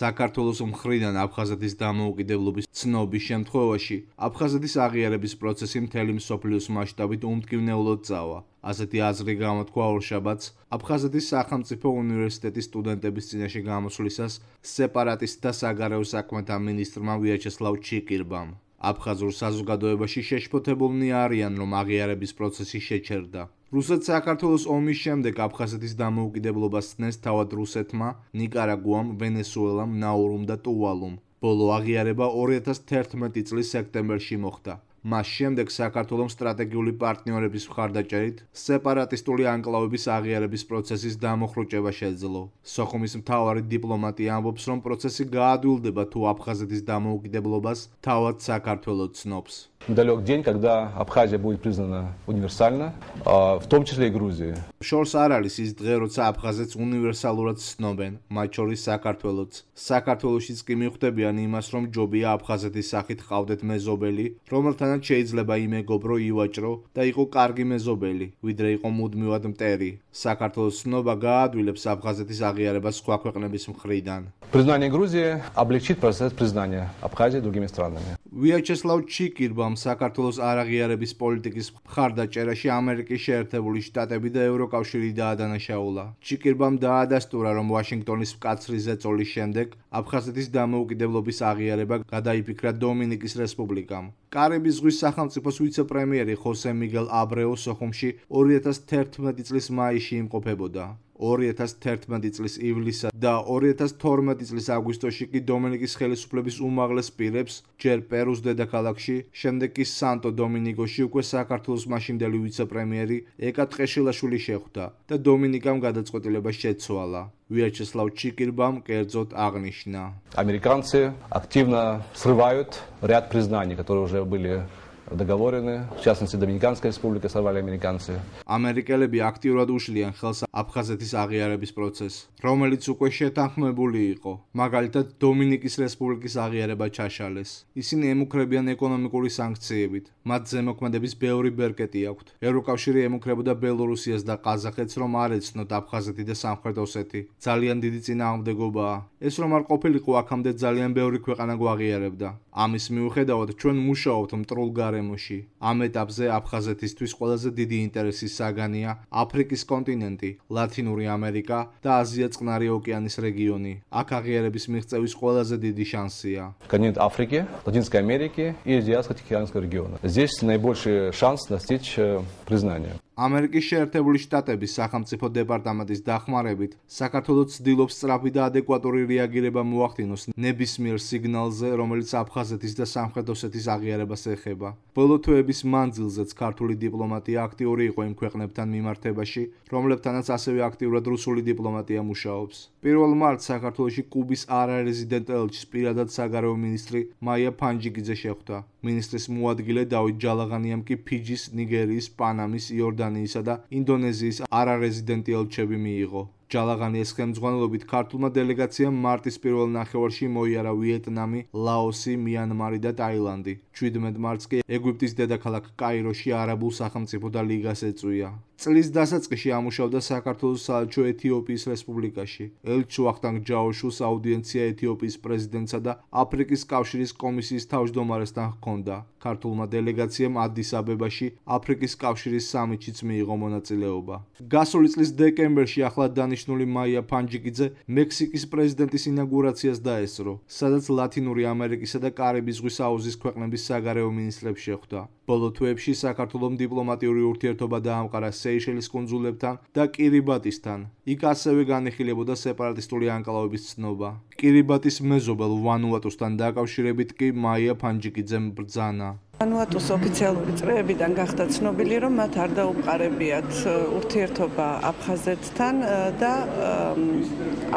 საქართველოს მხრიდან აფხაზეთის დამოუკიდებლობის ცნობის შემთხვევაში აფხაზეთის აღიარების პროცესი მთელი მსოფლიოს მასშტაბით უმტკივნეულოდ წავა. ასეთი აზრი გამოთქვა ორშაბათს აფხაზეთის სახელმწიფო უნივერსიტეტის სტუდენტების წინაშე გამოსვლისას სეპარატისტთა საგარეო საქმეთა მინისტრმა ვიაჩესლავ ჩიკირბამ. აფხაზურ საზოგადოებაში შეშფოთებულნი არიან, რომ აღიარების პროცესი შეჩერდა. რუსეთ-საქართველოს ომის შემდეგ აფხაზეთის დამოუკიდებლობას ცნეს თავად რუსეთმა, ნიკარაგუამ, ვენესუელამ, ნაურუმ და ტუვალუმ. ბოლო აღიარება 2011 წლის სექტემბერში მოხდა. მას შემდეგ საქართველოს სტრატეგიული პარტნიორების მხარდაჭერით სეპარატისტული ანკლავების აღიარების პროცესის დამოხრუჭება შეძლო. სოხუმის მთავარი დიპლომატი ამბობს, რომ პროცესი გაადვილდება თუ აფხაზეთის დამოუკიდებლობას თავად საქართველო ცნობს. Недалек день, когда Абхазия будет признана универсально, в том числе и Грузия. შორს არ არის ის დღე, როცა აფხაზეთს უნივერსალურად ცნობენ, მათ შორის საქართველოც. საქართველოშიც კი მიხვდებიან იმას, რომ ჯობია აფხაზეთის სახით ყავდეთ მეზობელი, რომელთანაც შეიძლება იმეგობრო, ივაჭრო და იყო კარგი მეზობელი, ვიდრე იყო მუდმივად მტერი. საქართველოს ცნობა გაადვილებს აფხაზეთის აღიარებას სხვა ქვეყნების მხრიდან. Признание Грузии облегчит процесс признания Абхазии другими странами. ვიაჩესლავ ჩიკირბამ საქართველოს არაღიარების პოლიტიკის მხარდაჭერაში ამერიკის შეერთებული შტატები და ევროკავშირი დაადანაშაულა. ჩიკირბამ დაადასტურა, რომ ვაშინგტონის მკაცრი ზეწოლის შემდეგ აფხაზეთის დამოუკიდებლობის აღიარება გადაიფიქრა დომინიკის რესპუბლიკამ. კარიბის ზღვის სახელმწიფოს ვიცე-პრემიერი ხოსე მიგელ აბრეუ სოხუმში 2011 წლის მაისში იმყოფებოდა. 2011 წლის ივლისსა და 2012 წლის აგვისტოში კი დომინიკის ხელისუფლების უმაღლეს პირებს ჯერ პერუს დედაქალაქში, შემდეგ კი სანტო დომინგოში უკვე საქართველოს მაშინდელი ვიცე-პრემიერი ეკა ტყეშილაშვილი შეხვდა და დომინიკამ გადაწყვეტილება შეცვალა. ვიაჩესლავ ჩიკირბამ კერძოდ აღნიშნა. Американцы активно срывают ряд признаний, которые уже были договорены, в частности, Доминиканская республика сорвали американцы. ამერიკელები აქტიურად უშლიან ხელს აფხაზეთის აღიარების პროცესს, რომელიც უკვე შეთანხმებული იყო. მაგალითად, დომინიკის რესპუბლიკის აღიარება ჩაშალეს. ისინი ემუქრებიან ეკონომიკური სანქციებით. მათ ზემოქმედების ბევრი ბერკეტი აქვთ. ევროკავშირი ემუქრებოდა ბელორუსიას და ყაზახეთს, რომ არ ეცნოთ აფხაზეთი და სამხრეთ ოსეთი. ძალიან დიდი წინააღმდეგობაა. ეს რომ არ ყოფილიყო, აქამდე ძალიან ბევრი ქვეყანა გვაღიარებდა. ამის მიუხედავად, ჩვენ მუშაობთ მტრულ გარემოში. ამ ეტაპზე აფხაზეთისთვის ყველაზე დიდი ინტერესის საგანია აფრიკის კონტინენტი, ლათინური ამერიკა და აზია-წყნარი ოკეანის რეგიონი. აქ აღიარების მიღწევის ყველაზე დიდი შანსია. Континент Африки, Латинской Америки и Азиатско-Тихоокеанского региона. Здесь наибольший шанс достичь признания. ამერიკის შეერთებული შტატების სახელმწიფო დეპარტამენტის დახმარებით საქართველოს ცდილობს სწრაფი და ადეკვატური რეაგირება მოახდინოს ნებისმიერ სიგნალზე, რომელიც აფხაზეთის და სამხრეთ ოსეთის აღიარებას ეხება. ბოლო თვეების მანძილზეც ქართული დიპლომატია აქტიური იყო იმ ქვეყნებთან მიმართებაში, რომლებთანაც ასევე აქტიურად რუსული დიპლომატია მუშაობს. 1 მარტს საქართველოში კუბის არარეზიდენტ ელჩის პირადად საგარეო მინისტრი მაია ფანჯიკიძე შეხვდა. მინისტრის მოადგილე დავით ჯალაღანიამ კი ფიჯის, ნიგერიის, პანამის, იორდანიისა და ინდონეზიის არარეზიდენტი ელჩები მიიღო. ჯალაღანიას ხელმძღვანელობით ქართულმა დელეგაციამ მარტის პირველ ნახევარში მოიარა ვიეტნამი, ლაოსი, მიანმარი და ტაილანდი. 17 მარტს კი ეგვიპტის დედაქალაქ კაიროში არაბულ სახელმწიფო და ლიგას ეწვია. წლის დასაწყისში ამუშავდა საქართველოს საელჩო ეთიოპიის რესპუბლიკაში. ელჩ ვახტანგ ჯაოშუს აუდიენცია ეთიოპიის პრეზიდენტსა და აფრიკის კავშირის კომისიის თავმჯდომარესთან ჰქონდა. ქართულმა დელეგაციამ ადის-აბებაში აფრიკის კავშირის სამიტშიც მიიღო მონაწილეობა. გასული წლის დეკემბერში ახლად დანიშნული მაია ფანჯიკიძე მექსიკის პრეზიდენტის ინაგურაციას დაესწრო, სადაც ლათინური ამერიკისა და კარიბის ზღვის აუზის ქვეყნების საგარეო მინისტრებს შეხვდა. ბოლო თვეებში საქართველოს დიპლომატიური ურთიერთობა დაამყარა სეიშელის კუნძულებთან და კირიბატისთან. იქ ასევე განიხილებოდა სეპარატისტული ანკლავების ცნობა. კირიბატის მეზობელ ვანუატუსთან დაკავშირებით კი მაია ფანჯიკიძემ ბრძანა. ვანუატუს ოფიციალური წრეებიდან გახდა ცნობილი, რომ მათ არ დაუყარებიათ ურთიერთობა აფხაზეთთან და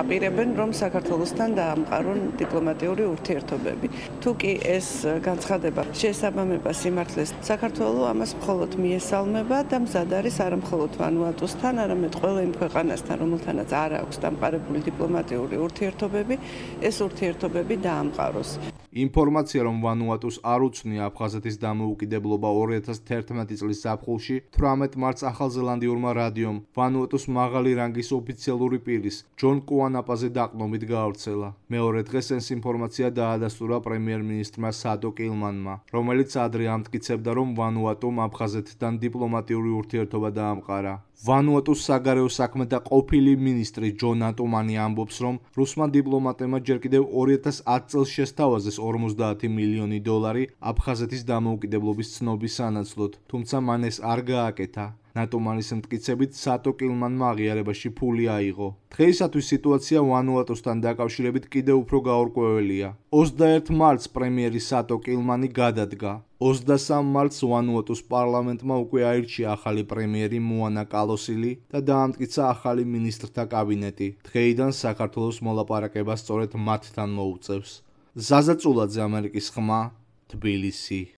აპირებენ, რომ საქართველოსთან დაამყარონ დიპლომატიური ურთიერთობები. თუ კი ეს განცხადება შეესაბამება სიმართლეს, საქართველოს ამას მხოლოდ მიესალმება და მზად არის არა მხოლოდ ვანუატუსთან, არამედ ყველა იმ ქვეყანასთან, რომელთანაც არ აქვს დამყარებული დიპლომატიური ურთიერთობები, ეს ურთიერთობები დაამყაროს. ინფორმაცია, რომ ვანუატუს არ უცნია აფხაზეთის საფრანგეთის დამოუკიდებლობა 2011 წლის ზაფხულში 18 მარტს ახალზელანდიურმა რადიომ ვანუატუს მაღალი რანგის ოფიციალური პირის ჯონ კუანაპაზე დაყრდნობით გაავრცელა. მეორე დღეს ეს ინფორმაცია დაადასტურა პრემიერ-მინისტრმა სადო კილმანმა, რომელიც ადრე ამტკიცებდა, რომ ვანუატუმ აფხაზეთთან დიპლომატიური ურთიერთობა დაამყარა. ვანუატუს საგარეო საქმეთა ყოფილი მინისტრი ჯონ ატუმანი ამბობს, რომ რუსმა დიპლომატებმა ჯერ კიდევ 2010 წელს შესთავაზეს $50 მილიონი აფხაზეთის დამოუკიდებლობის ცნობის სანაცვლოდ, თუმცა მან ეს არ გააკეთა. ნატუმანის მტკიცებით სადო კილმანმა აღიარებაში ფული აიღო. დღეისათვის სიტუაცია ვანუატუსთან დაკავშირებით კიდევ უფრო გაურკვეველია. 21 მარტს პრემიერი სადო კილმანი გადადგა. 23 მარტს ვანუატუს პარლამენტმა უკვე აირჩია ახალი პრემიერი მოანა კალოსილი და დაამტკიცა ახალი მინისტრთა კაბინეტი. დღეიდან საქართველოს მოლაპარაკება სწორედ მათთან მოუწევს. ზაზა წულაძე, ამერიკის ხმა, თბილისი.